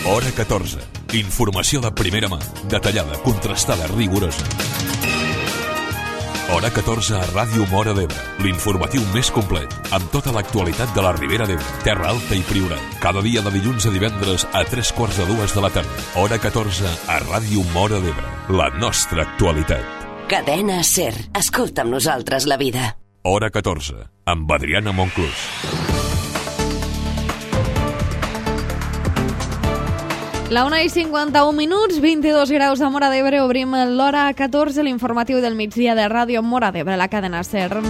Hora 14. Informació de primera mà, detallada, contrastada, rigorosa. Hora 14 a Ràdio Móra d'Ebre, l'informatiu més complet, amb tota l'actualitat de la Ribera d'Ebre, Terra Alta i Priorat. Cada dia de dilluns a divendres a 3:45 de la tarda. Hora 14 a Ràdio Móra d'Ebre, la nostra actualitat. Cadena SER. Escolta amb nosaltres la vida. Hora 14, amb Adriana Monclús. La 1:51, 22 graus a Móra d'Ebre. Obrim l'hora 14, l'informatiu del migdia de Ràdio Móra d'Ebre, la cadena SER.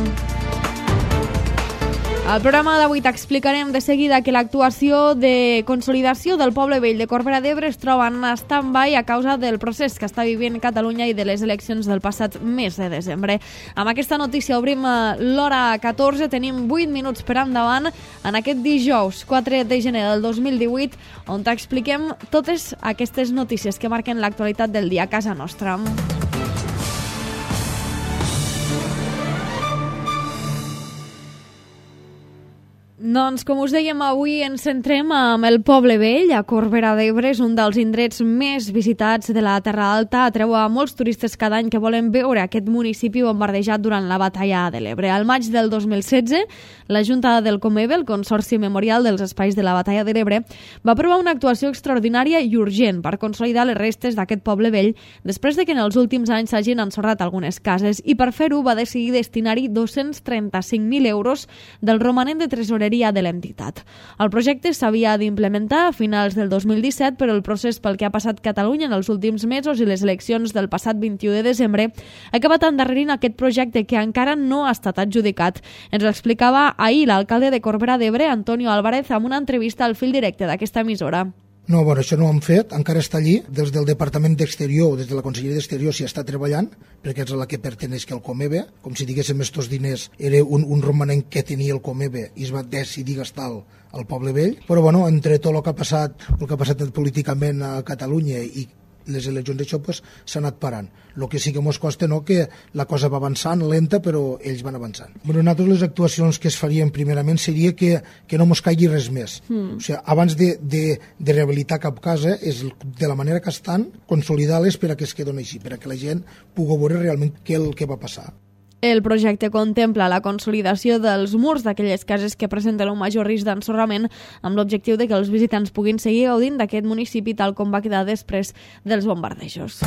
Al programa d'avui t'explicarem de seguida que l'actuació de consolidació del Poble Vell de Corbera d'Ebre es troba en stand-by a causa del procés que està vivint Catalunya i de les eleccions del passat mes de desembre. Amb aquesta notícia obrim l'hora 14, tenim 8 minuts per endavant en aquest dijous 4 de gener del 2018, on t'expliquem totes aquestes notícies que marquen l'actualitat del dia a casa nostra. Doncs, com us dèiem, avui ens centrem amb el Poble Vell, a Corbera d'Ebre. És un dels indrets més visitats de la Terra Alta. Atreu a molts turistes cada any que volen veure aquest municipi bombardejat durant la batalla de l'Ebre. Al maig del 2016, la Junta del Comebe, el Consorci Memorial dels Espais de la Batalla de l'Ebre, va aprovar una actuació extraordinària i urgent per consolidar les restes d'aquest Poble Vell després de que en els últims anys s'hagin ensorrat algunes cases, i per fer-ho va decidir destinar-hi 235.000 euros del romanent de tresoreria de l'entitat. El projecte s'havia d'implementar a finals del 2017, però el procés pel que ha passat Catalunya en els últims mesos i les eleccions del passat 21 de desembre ha acabat endarrerint aquest projecte, que encara no ha estat adjudicat. Ens ho explicava ahir l'alcalde de Corbera d'Ebre, Antonio Álvarez, amb una entrevista al fil directe d'aquesta emissora. No, bueno, això no ho hem fet, encara està allí. Des del Departament d'Exterior, des de la Conselleria d'Exterior s'hi està treballant, perquè és a la que perteneix que el Comebe, com si diguéssim estos diners era un romanent que tenia el Comebe i es va decidir gastar al Poble Vell. Però bueno, entre tot el que ha passat políticament a Catalunya i les eleccions d'això, pues, s'ha anat parant. El que sí que mos costa, no, que la cosa va avançant, lenta, però ells van avançant. Bueno, nosaltres les actuacions que es farien primerament seria que no mos caigui res més. O sigui, abans de rehabilitar cap casa, és de la manera que estan, consolidar-les per a que es quedin així, per a que la gent pugui veure realment què el que va passar. El projecte contempla la consolidació dels murs d'aquelles cases que presenten un major risc d'ensorrament, amb l'objectiu de que els visitants puguin seguir gaudint d'aquest municipi tal com va quedar després dels bombardejos.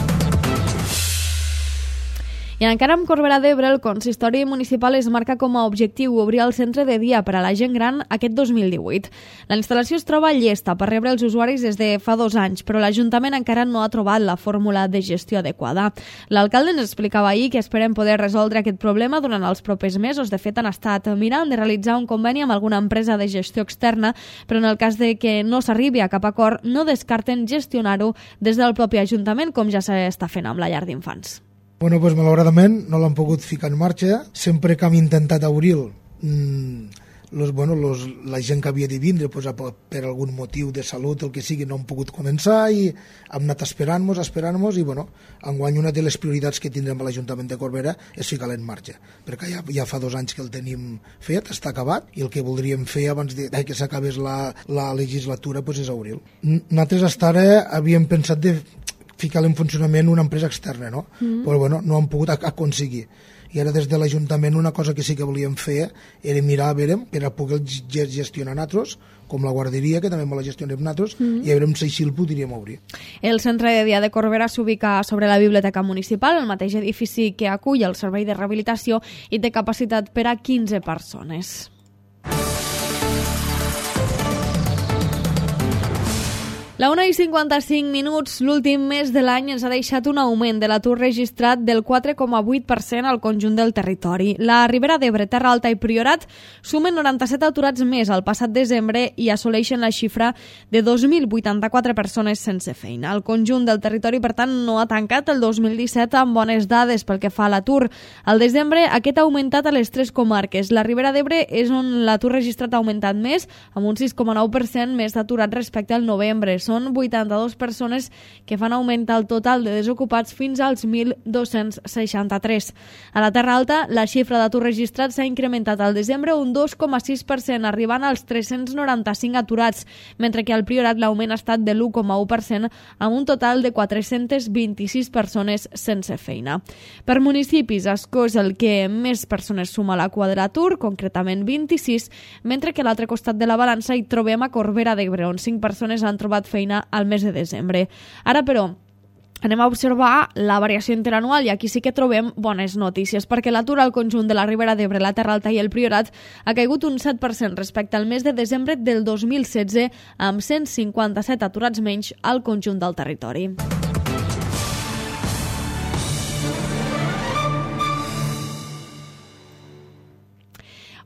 I encara amb Corbera d'Ebre, el consistori municipal es marca com a objectiu obrir el centre de dia per a la gent gran aquest 2018. La instal·lació es troba llesta per rebre els usuaris des de fa 2 anys, però l'Ajuntament encara no ha trobat la fórmula de gestió adequada. L'alcalde ens explicava ahir que esperen poder resoldre aquest problema durant els propers mesos. De fet, han estat mirant de realitzar un conveni amb alguna empresa de gestió externa, però en el cas de que no s'arribi a cap acord, no descarten gestionar-ho des del propi Ajuntament, com ja s'està fent amb la llar d'infants. Bueno, pues, malauradament no l'han pogut ficar en marxa. Sempre que hem intentat obrir-lo, la gent que havia de vindre, pues, per algun motiu de salut, el que sigui, no han pogut començar, i hem anat esperant-nos i bueno, enguany una de les prioritats que tindrem a l'Ajuntament de Corbera és ficar-lo en marxa, perquè ja fa 2 anys que el tenim fet, està acabat, i el que voldríem fer abans de que s'acabés la legislatura, pues, és obrir-lo. Nosaltres fins ara havíem pensat de ficar en funcionament una empresa externa, no? Però bueno, no han pogut aconseguir. I ara des de l'Ajuntament una cosa que sí que volíem fer era mirar a veure, per a poder gestionar nosaltres, com la guarderia, que també la gestionem nosaltres, i a veure si així el podríem obrir. El centre de dia de Corbera s'ubica sobre la Biblioteca Municipal, el mateix edifici que acull el servei de rehabilitació, i té capacitat per a 15 persones. La 1:55, l'últim mes de l'any ens ha deixat un augment de l'atur registrat del 4,8% al conjunt del territori. La Ribera d'Ebre, Terra Alta i Priorat sumen 97 aturats més al passat desembre i assoleixen la xifra de 2.084 persones sense feina. El conjunt del territori, per tant, no ha tancat el 2017 amb bones dades pel que fa a l'atur. Al desembre, aquest ha augmentat a les 3 comarques. La Ribera d'Ebre és on l'atur registrat ha augmentat més, amb un 6,9% més d'aturats respecte al novembre. són 82 persones que fan augmentar el total de desocupats fins als 1.263. A la Terra Alta, la xifra d'atur registrat s'ha incrementat al desembre un 2,6%, arribant als 395 aturats, mentre que al Priorat l'augment ha estat de l'1,1%, amb un total de 426 persones sense feina. Per municipis, Ascó és el que més persones suma a la cua de l'atur, concretament 26, mentre que a l'altre costat de la balança hi trobem a Corbera d'Ebre, on 5 persones han trobat feina al mes de desembre. Ara, però, anem a observar la variació interanual i aquí sí que trobem bones notícies, perquè l'atur al conjunt de la Ribera d'Ebre, la Terra Alta i el Priorat ha caigut un 7% respecte al mes de desembre del 2016, amb 157 aturats menys al conjunt del territori.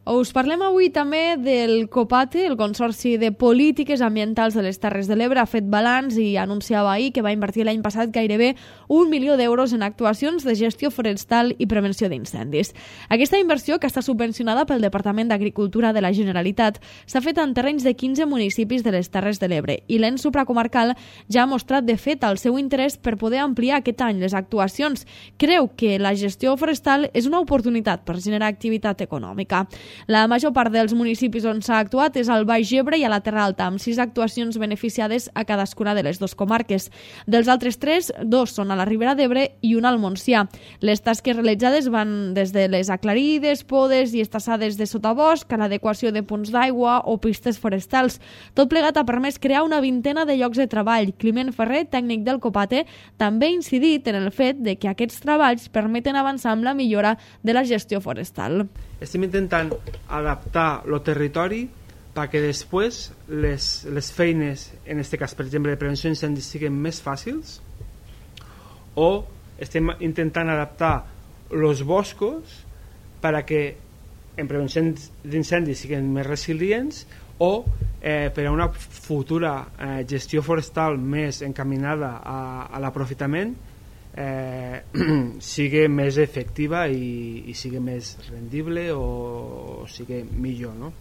Us parlem avui també del COPATE, el Consorci de Polítiques Ambientals de les Terres de l'Ebre. Ha fet balanç i anunciava ahir que va invertir l'any passat gairebé 1 milió d'euros en actuacions de gestió forestal i prevenció d'incendis. Aquesta inversió, que està subvencionada pel Departament d'Agricultura de la Generalitat, s'ha fet en terrenys de 15 municipis de les Terres de l'Ebre i l'ens supracomarcal ja ha mostrat de fet el seu interès per poder ampliar aquest any les actuacions. Creu que la gestió forestal és una oportunitat per generar activitat econòmica. La major part dels municipis on s'ha actuat és al Baix Ebre i a la Terra Alta, amb 6 actuacions beneficiades a cadascuna de les dues comarques. Dels altres 3, 2 són a la Ribera d'Ebre i una al Montsià. Les tasques realitzades van des de les aclarides, podes i estassades de sotabosc a l'adequació de punts d'aigua o pistes forestals. Tot plegat ha permès crear una vintena de llocs de treball. Climent Ferrer, tècnic del COPATE, també ha incidit en el fet de que aquests treballs permeten avançar amb la millora de la gestió forestal. Estem intentant adaptar el territori perquè després les feines, en aquest cas, per exemple, de prevenció d'incendis siguin més fàcils, o estem intentant adaptar els boscos perquè en prevenció d'incendis siguin més resilients o per a una futura gestió forestal més encaminada a l'aprofitament sigui més efectiva i sigui més rendible o sigui millor, no?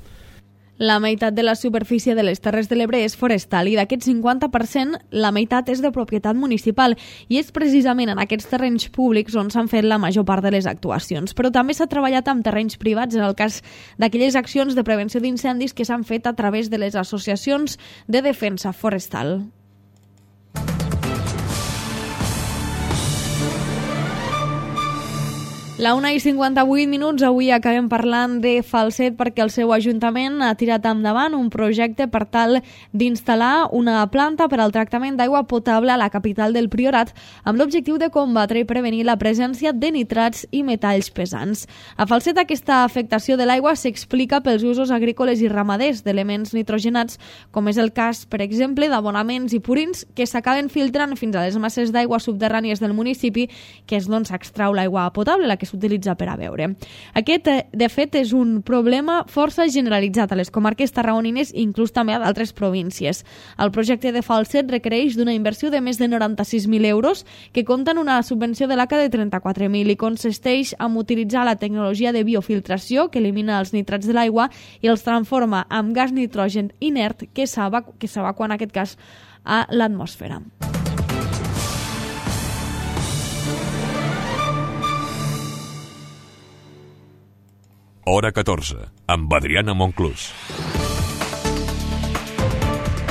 La meitat de la superfície de les Terres de l'Ebre és forestal i d'aquest 50% la meitat és de propietat municipal i és precisament en aquests terrenys públics on s'han fet la major part de les actuacions. Però també s'ha treballat amb terrenys privats en el cas d'aquelles accions de prevenció d'incendis que s'han fet a través de les associacions de defensa forestal. La 1:58, avui acabem parlant de Falset perquè el seu ajuntament ha tirat endavant un projecte per tal d'instal·lar una planta per al tractament d'aigua potable a la capital del Priorat amb l'objectiu de combatre i prevenir la presència de nitrats i metalls pesants. A Falset aquesta afectació de l'aigua s'explica pels usos agrícoles i ramaders d'elements nitrogenats, com és el cas, per exemple, d'abonaments i purins que s'acaben filtrant fins a les masses d'aigua subterrànies del municipi, que és d'on s'extrau l'aigua potable, la que s'utilitza per a beure. Aquest, de fet, és un problema força generalitzat a les comarques tarragonines i inclús també a d'altres províncies. El projecte de Falset requereix d'una inversió de més de 96.000 euros que compta en una subvenció de l'ACA de 34.000 i consisteix en utilitzar la tecnologia de biofiltració que elimina els nitrats de l'aigua i els transforma en gas nitrogen inert que s'evacua en aquest cas a l'atmosfera. Hora 14, amb Adriana Monclús.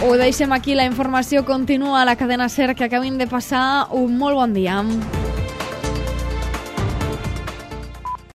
Ho deixem aquí, la informació continua a la cadena SER, que acabin de passar un molt bon dia.